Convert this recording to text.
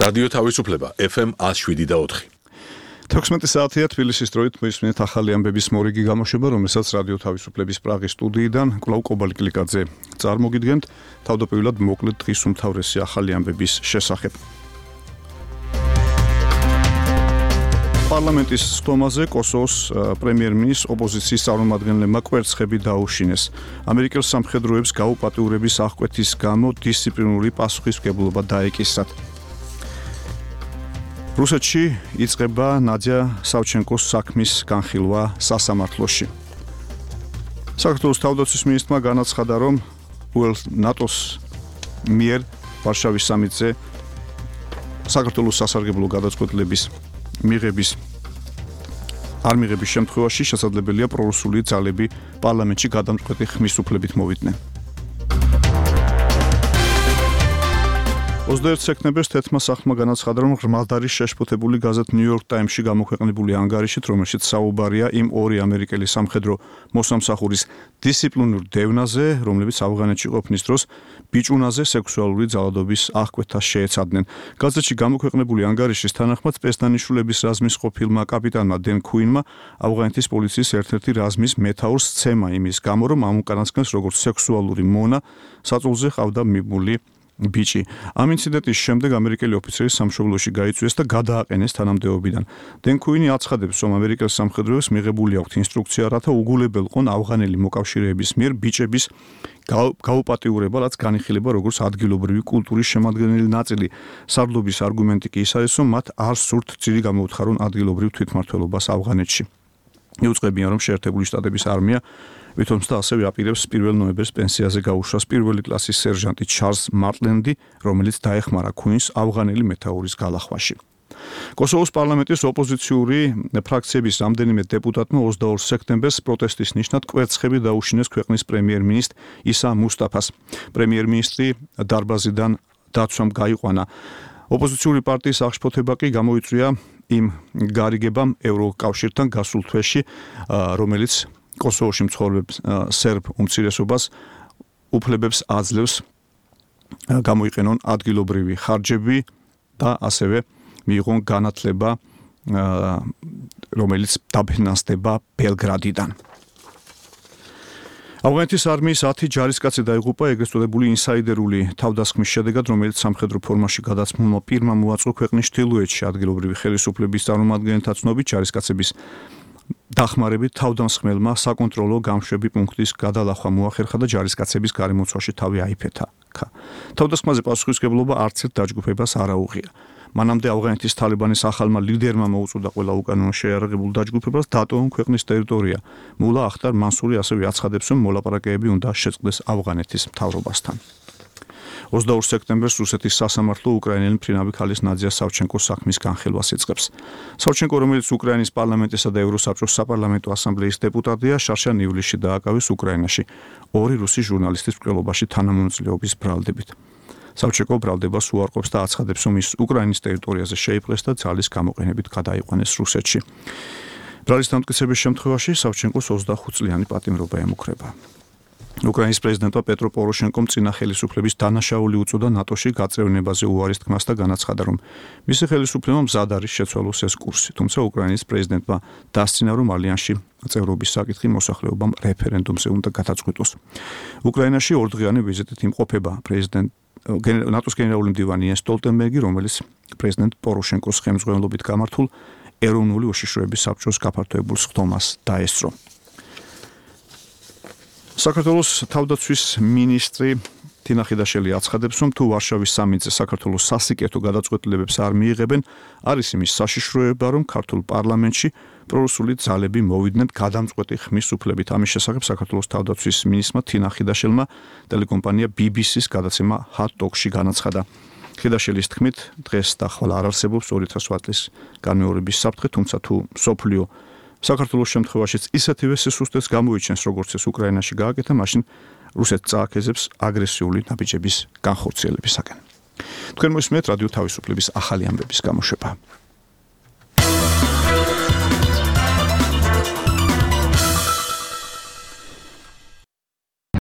რადიო თავისუფლება FM 107.4. 16 საათია თბილისის დროით მოისმინეთ ახალი ამბების მორიგი გამოშვება, რომელსაც რადიო თავისუფლების პრაღის სტუდიიდან კვლავ კობალი კლიკაძე წარმოგიდგენთ. თავდაპირველად მოკლედ დღის უმთავრესი ახალი ამბების შესახებ. პარლამენტის სტომაზე კოსოვოს პრემიერ-მინისტრს ოპოზიციის წარმომადგენლებმა კვერცხები დაუშინეს. ამერიკელ სამხედროებს გაუპატიურების აღკვეთის გამო დისციპლინური პასუხისმგებლობა დაეკისრათ. რუსეთში იწყება ნადია სავჩენკოს საქმის განხილვა სასამართლოში. საქართველოს თავდაცვის მინისტრმა განაცხადა, რომ ნატოს მიერ ვარშავის სამიტზე საქართველოს სასარგებლო გადაწყვეტილების არ მიღების შემთხვევაში შესაძლებელია პრორუსული ძალები პარლამენტში გადამწყვეტი ხმის უფლებით მოვიდნენ. 21 სექტემბერს თეთრმა სახლმა განაცხადა, რომ ღრმად არის შეშფოთებული გაზეთ New York Times-ში გამოქვეყნებული ანგარიშით, რომელშიც საუბარია იმ ორი ამერიკელი სამხედრო მოსამსახურის დისციპლინურ დევნაზე, რომლებიც ავღანეთში ყოფნის დროს ბიჭუნაზე სექსუალური ძალადობის აღკვეთას შეეცადნენ. გაზეთში გამოქვეყნებული ანგარიშის თანახმად სპეცდანიშვილების რაზმის ყოფილმა კაპიტანმა დენ ქუინმა ავღანეთის პოლიციის ერთ-ერთი რაზმის მეთაურს სცემა იმის გამო, რომ ამ უკანასკნელს როგორც სექსუალური მონა საწოლზე ყავდა მიბმული ბიჭი. ამ ინციდენტის შემდეგ ამერიკელი ოფიცერი სამშობლოში გაიწვიეს და გადააყენეს თანამდებობიდან. დენ ქუინი აცხადებს, რომ ამერიკელ სამხედროებს მიღებული აქვთ ინსტრუქცია, რათა უგულებელყონ ავღანელი მოკავშირეების მიერ ბიჭების გაუპატიურება, რაც განიხილება როგორც ადგილობრივი კულტურის შემადგენელი ნაწილი. სარდლობის არგუმენტი კი ის არის, რომ მათ არ სურთ ძირი გამოუთხარონ ადგილობრივ თვითმმართველობას ავღანეთში. იუწყებიან, რომ შეერთებული შტატების არმია ვითომცა ასევე აპირებს 1 ნოემბერს პენსიაზე გაუშვას პირველი კლასის სერჟანტი ჩარლზ მარტლენდი, რომელიც დაეხმარა ქუინს ავღანელი მეთაურის გალახვაში. კოსოვოს პარლამენტის ოპოზიციური ფრაქციების რამდენიმე დეპუტატმა 22 სექტემბერს პროტესტის ნიშნად კვერცხები დაუშინეს ქვეყნის პრემიერ-მინისტრ ისა მუსტაფას. პრემიერ-მინისტრი დარბაზიდან დაცვამ გაიყვანა. ოპოზიციური პარტიის აღშფოთება კი გამოიწვია იმ გარიგებამ ევროკავშირთან გასულ თვეში, რომელიც კოსოვოში მცხოვრებ სერბ უმცირესობას უფლებებს აძლევს გამოიყენონ ადგილობრივი ხარჯები და ასევე მიიღონ განათლება, რომელიც დაფინანსდება ბელგრადიდან. ავღანეთის არმიის 10 ჯარისკაცი დაიღუპა ეგრეთ წოდებული ინსაიდერული თავდასხმის შედეგად, რომელიც სამხედრო ფორმაში გადაცმულმა პირმა მოაწყო ქვეყნის ჩრდილოეთში ადგილობრივი ხელისუფლების წარმომადგენელთა ცნობით ჯარისკაცების დახმარებით თავდამსხმელმა საკონტროლო გამშვები პუნქტის გადალახვა მოახერხა და ჯარისკაცების გარემოცვაში თავი აიფეთა. თავდასხმაზე პასუხისმგებლობა არც ერთ დაჯგუფებას არ აუღია. მანამდე ავღანეთის თალიბანის ახალმა ლიდერმა მოუწოდა ყველა უკანონო შეიარაღებულ დაჯგუფებას დატოვონ ქვეყნის ტერიტორია. მულა ახტარ მანსური ასევე აცხადებს, რომ მოლაპარაკებები უნდა შეწყდეს ავღანეთის მთავრობასთან. 22 სექტემბერს რუსეთის სასამართლო უკრაინელი მფრინავი ქალის ნადია სავჩენკოს საქმის განხილვას იწყებს. სავჩენკო, რომელიც უკრაინის პარლამენტისა და ევროსაბჭოს საპარლამენტო ასამბლეის დეპუტატია, შარშან ივლისში დააკავეს უკრაინაში ორი რუსი ჟურნალისტის მკვლელობაში თანამონაწილეობის ბრალდებით. სავჩენკო ბრალდებას უარყოფს და აცხადებს, რომ ის უკრაინის ტერიტორიაზე შეიპყრეს და ძალის გამოყენებით გადაიყვანეს რუსეთში. ბრალის დამტკიცების შემთხვევაში სავჩენკოს 25 წლიანი პატიმრობა ემუქრება. უკრაინის პრეზიდენტმა პეტრო პოროშენკომ წინა ხელისუფლების დანაშაული უწოდა ნატოში გაწევნებაზე უარის თქმას და განაცხადა, რომ მისი ხელისუფლება მზად არის შეცვალოს ეს კურსი. თუმცა უკრაინის პრეზიდენტმა დასცინა, რომ ალიანსში წევრობის საკითხი მოსახლეობამ რეფერენდუმზე უნდა გადაწყვიტოს. უკრაინაში ორდღიანი ვიზიტით იმყოფება ნატოს გენერალური მდივანი იენს სტოლტენბერგი, რომელიც პრეზიდენტ პოროშენკოს ხელმძღვანელობით გამართულ ეროვნული უშიშროების საბჭოს გაფართოებულ სხდომას დაესწრო. საქართველოს თავდაცვის მინისტრი თინა ხიდაშელი აცხადებს, რომ თუ ვარშავის სამიტზე საქართველოს სასიკეთო გადაწყვეტილებებს არ მიიღებენ, არის იმის საშიშროება, რომ ქართულ პარლამენტში პრორუსული ძალები მოვიდნენ გადამწყვეტი ხმის უფლებით. ამის შესახებ საქართველოს თავდაცვის მინისტრმა თინა ხიდაშელმა ტელეკომპანია BBC-ს გადაცემა Hot Talk-ში განაცხადა. ხიდაშელის თქმით, დღეს და ხვალ არ არსებობს 2000 ვატის განმეორების საფრთხე, თუმცა თუ სოფლიო საქართველოს შემთხვევაშიც ისეთივე სისუსტეს გამოიჩენს, როგორც ეს უკრაინაში გააკეთა, მაშინ რუსეთს წააქეზებს აგრესიული ნაბიჯების განხორციელებისაკენ. თქვენ მოისმენთ რადიო თავისუფლების ახალი ამბების გამოშვება.